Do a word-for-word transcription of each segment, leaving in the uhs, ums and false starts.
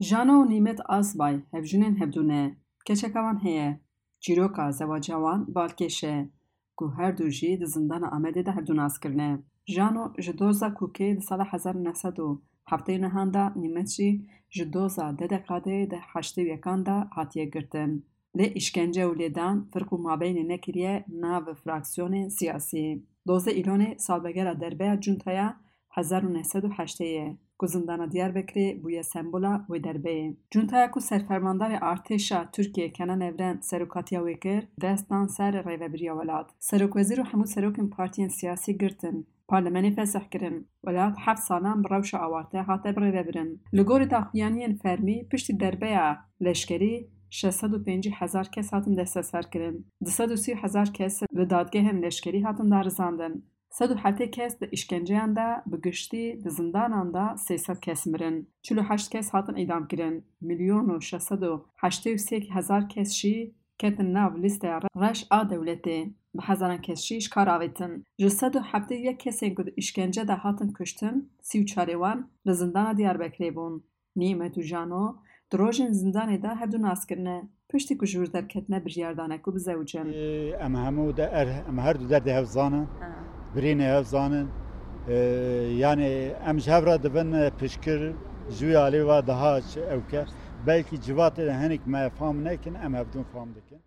Jano û Nîmet Asbay hevjinên hevdû ne. Keçeka wan heye. Çîroka zewaca wan balkêş e, ku her du jî di zindana Amedê de hevdû nas kirine. Jano ji doza Kûkê di sala hezar û neh sed û heftê û nehan de, Nîmet jî ji doza D D K D'yê di heştê û yekan de hatiye girtin. Lê îşkence û lêdan firq û mabeynê nekiriye nav fraksiyonên siyasî. Dozdeh Îlonê salvegera derbeya cuntaya hezar û neh sed û heştê ye, ku zindana Diyarbekirê bûye sembola wê derbeyê. Cuntaya ku serfermandarê artêşa Tirkiyê Kenan Evren serokatiya wê kir, dest dan ser rêvebiriya welat. Serokwezîr û hemû serokên partiyên siyasî girtin. Parlemenê fesih kirin. Welat heft salan bi rewşa awarte hate birêvebirin. Li gorî daxuyaniyên fermî, piştî derbeya leşkerî şeş sed û pêncî hezar kes hatin desteserkirin. Du sed û sî hezar kes li dadgehên leşkerî hatin darizandin. Sed û heftê kes di îşkenceyan de, bi giştî di zindanan de sê sed kes mirin. Çil û heşt kes hatin îdamkirin. Milyon û şeş sed û heştê û sê hezar kes jî ketin nav lîsteya re-, reş a dewletê. Bi hezaran kes jî ji kar avêtin. Ji sed û heftê û yek kesên ku di îşkence de hatin kuştin, sî û çarê wan li zindana Diyarbekirê bûn. Nîmet û Jano di rojên zindanê de hevdû nas kirine. Piştî ku ji wir derketine, biryar dane ku bizewicin. Ê, em hemû de er, em her du derdê hev zanin. Ha. Birînê hev zanin. Ê, yani em ji hev re dibin, e, pişkir ji wî alî ve daha ç-, ewke. Belkî civatê de hinek me fam nekin, em hevdûn fam dikin.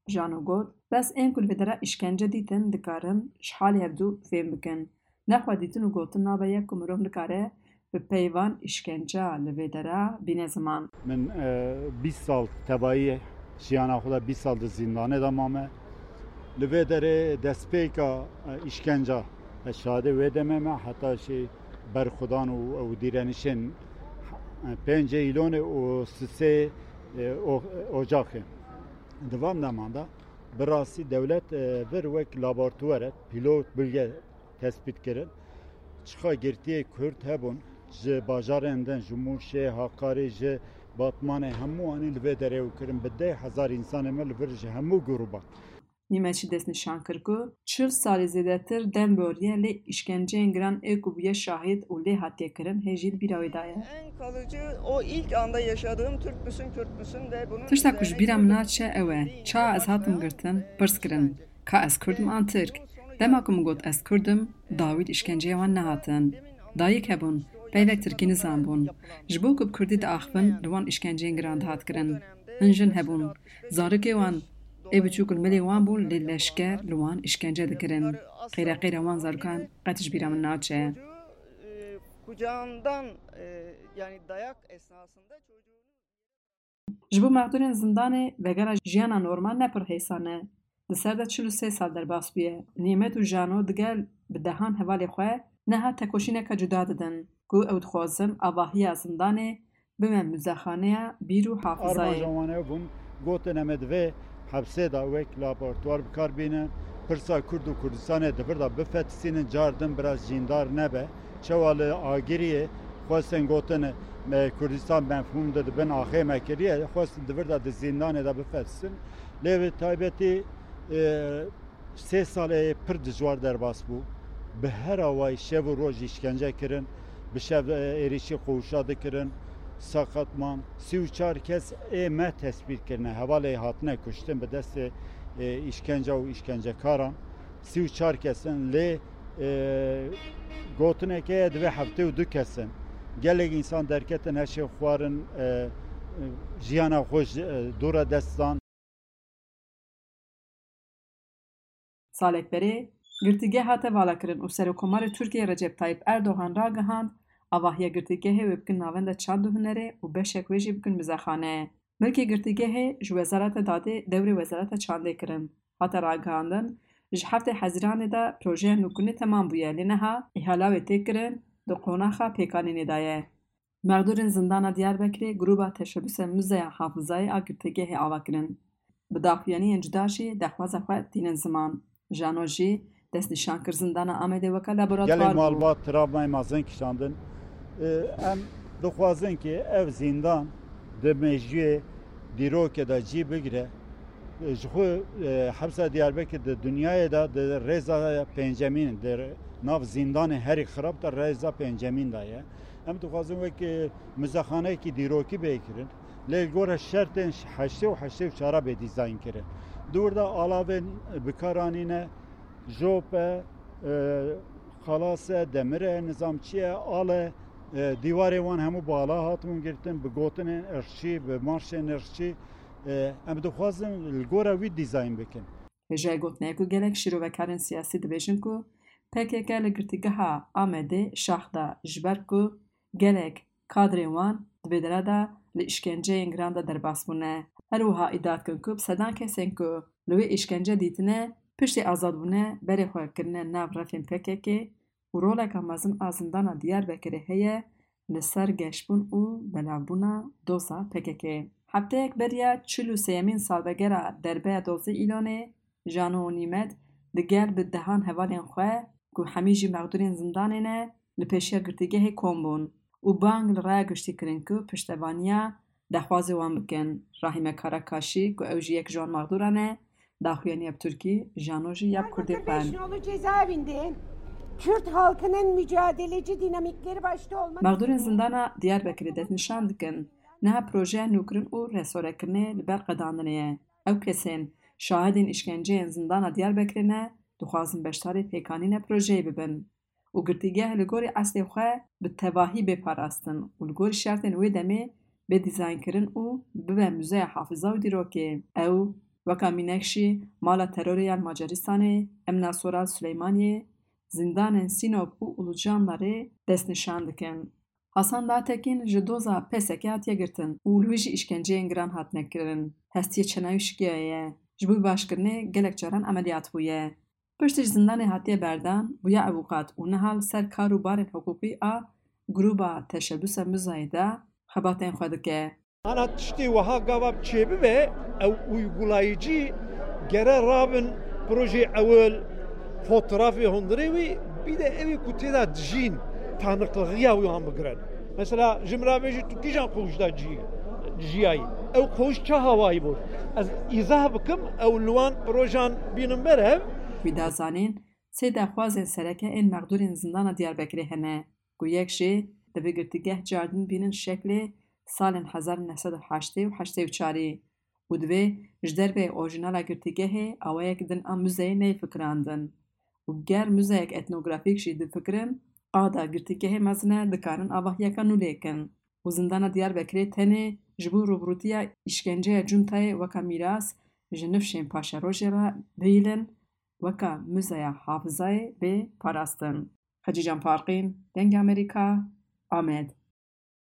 Jano got, bes ên ku li vê dera îşkence dîtin, dikarin ji halê hevdû fêm bikin. Nexwe dîtin û gotin nabe yek ku mirov nikare bi pey van îşkenca li vê dera bîne ziman. Min, e, bîst sal tevayî jiyana xwe de, bîst sal di zîndanê de mame. Li vê derê destpêka, e, îşkenca, ez şahidê wê demê me, heta jî berxwedan û, û dîrenişên, e, pêncê Îlonê û sisê, e, o-, Ocaxê. Di van deman de bi rastî dewlet, e, vir wek laboratuwar e, pîlot bilge tespît kirin. Çiqa girtiyê Kurd hebûn, ji bajarên din, ji Mûşê, Hakarê, ji Batmanê, hemû anî li vê derê û kirin. Bi deh hezar însanê me li vir ji hemû grûban. Nîmet jî destnîşan kir ku çil salî zêdetir dem boriye, lê îşkenceyên giran ê ku bûye şahid û lê hatiye kirin hê jî li bîra wê de ye. En kalıcı o ilk anda yaşadığım Türk müsün, Kürt müsün ve bunun Tişta ku ji bîra min naçe ew e, ça ez hatim girtin, pirs kirin, ka ez Kurd im an Tirk? Dema ku min got ez Kurd im, dawî di îşkenceyê wan nehatin. Dayik hebûn, peyvek Tirkî nizanbûn. Ji bo ku bi Kurdî diaxivin, li wan îşkenceyên giran dihat kirin. Hin jin hebûn. Zarokê wan ê biçûk li milê wan bûn, lê leşker li wan îşkence dikirin. Qeyreqeyra wan zarokan qet ji bîra min naçe. Kucağından, e, yani dayak esnasında çocuğunu Ji bo mexdûrên zindanê vegera jiyana normal ne pir hêsan e. Di ser de çil û sê sal derbas bûye. Nîmet û Jano digel bi dehan hevalê xwe niha tekoşîneke cuda didin, ku ew dixwazin avahiya zindanê bibe muzexaneya bîr û hafizayê. Armanca wan ew bûn, gotin, em ê di vê hepsê de wek laboratuwar bi kar bînin, pirsa Kurd û Kurdistanê di vir de bifetisînin, car din biraz cîndar nebe. Çawa li Agiriyê xwestin gotin, me Kurdistan mefhûm de di bin axê me kiriye, xwestin di vir de di zîndanê de bifetisînin. Lê bi taybetî, e, Sê salê pir dijwar derbas bû. Bi her awayî şev û roj îşkence kirin. Bi şev, e, êrîşî qûşa dikirin. Seqet man. Sî û çar kes ê me tespît kirine. Hevalê hatine kuştin bi destê, e, îşkenca û îşkencekaran. Sî û çar kes in. Lê, e, gotineke ye divê heftê û du kes in. Gelek însan derketin heşê xwarin, e, e, jiyana xwe ji, e, dû re dest dan. Salek berê, girtîgeh hate valakirin û Serokkomarê Tirkiyê Recep Tayyip Erdogan ragihand, avahiya girtîgehê wê bikin navenda çand û hunerê û beşek wê jî bikin muzexane. Milkê girtîgehê ji Wezareta Dadê dewrê Wezareta Çandê kirin. Hate ragihandin, ji heftê Hezîranê de projeya nûkirinê temam bûye, lê niha îhala wê tê kirin, di qonaxa pêkanînê de ye. Mexdûrên zindana Diyarbekirê Grûba Teşebûse Muzeya Hafizayê a girtîgehê ava kirin. Bi daxuyaniyên cuda jî dexwaza xwe tînin ziman. Jano jî destnîşan kir zindana Amedê weke laboratuwar Gelek bû. Malbat travmayê mezin kişandin. Em dixwazin ki ev zîndan di mejiyê dîrokê de cî bigire. Ji xwe, e, hepsa Diyarbekir di dinyayê de di rêza pêncemîn, di nav zîndanê herî xirab de rêza pêncemîn de ye. Em dixwazin wek, e, muzexaneyekî dîrokî bê kirin. Lê li gora şertên heştê û heştê û çar bê dîzayn kirin. Di wir de alavên bikaranîne, jop e, e, xalas e, demir e, nizamçî ye, al e, e, dîwarê wan hemû bala hatibûn girtin, bi gotinên irşî, bi marşên irşî. E, em dixwazin li gora wî dîzayn bikin. Hêjayê gotinê ye ku gelek şîrovekarên siyasî dibêjin ku P K K li girtîgeha Amedê şax da, ji ber ku gelek kadrên wan di vê dere de li îşkenceyên giran de derbas bûne. Her wiha îdia dikin ku bi sedan kesên ku li wê îşkence dîtine, piştî azadbûne berê xwe kirine nav refên P K K û roleka mezin a zindana Diyarbekirê heye li ser geşbûn û belavbûna doza P K K. Hefteyek beriya çil û sêyemîn salvegera derbeya dozê Îlonê, Jano û Nîmet digel bi dehan hevalên xwe ku hemî jî mexdûrên zindanê ne, li pêşiya girtîgehê kom bûn û bang li raya giştî kirin ku piştevaniya daxwazê wan bikin. Rahîme Karakaşî ku ew jî yek ji wan mexdûran e, daxuyaniye bi Tirkî, Jano jî ya bi Kurdî xwend. Beş nolu cezaevinde Kürt halkının mücadeleci dinamikleri başta olmak Mexdûrên zindana Diyarbekirê destnîşan dikin. Niha projeya nûkirin û restorekirinê li ber qedandinê ye. Ew kesên şahidên îşkenceyên zindana Diyarbekirê ne, dixwazin beşdarê pêkanîna projeyê bibin û girtîgeh li gorî eslê xwe bi tevahî bê parastin û li gorî şertên wê demê bê dîzaynkirin û bibe muzeya hafiza û dîrokê. Ew weka mînek jî mala terorê ya li Macaristanê, Emna Soral Silêmaniyê, zindanên Sînop û Ulucanlarê destnîşan dikin. Hasan Dağtekin ji doza P S K hatiye girtin û li wî jî îşkenceyên giran hatine kirin. Hestiyê çenayî şikiyaye. Ji bo başkirinê gelek caran emeliyat bûye. Piştî ji zindanê hatiye berdan, bûye avûkat û niha li ser kar û barên hiqûqî a Grûba Teşebbûsa Muzayê de xebatên xwe dike. Ana tiştê wiha gava çêbibe, ew uygulayıcı gere rabin projê ewil, fotoğrafê hundirê wî, bir de ew ê ku tê de dijîn, tanıklığı ya wan bigirin. Mesela ji min re bêjî tu kîjan koğuşda cî-, ciyayî? Ew koğuş ça hawayî bû? Ez îzah bikim, ew li wan projan bînin berev. Wî da zanîn, sê daxwazên sereke ên mexdûrên zindana Diyarbekirê hene, ku yek jê divê girtîgeh cardin bînin şeklê salên hezar û neh sed û heştê û heştê û çarî û divê ji derveyê orjinala girtîgehê awayek din a muzeyê neyê fikirandin û ger muzeyek etnografîk jî difikirin, qada girtîgehê mezin e, dikarin avahiyeka nû lê kin û zindana Diyarbekirê tenê ji bo rûbirûtiya îşkenceya cuntayê weka mîras ji nifşên paşerojê re bihîlin, weka muzeya hafizayê bê parastin. Xecîcan Farqîn, Dengê Amerîka, Amed.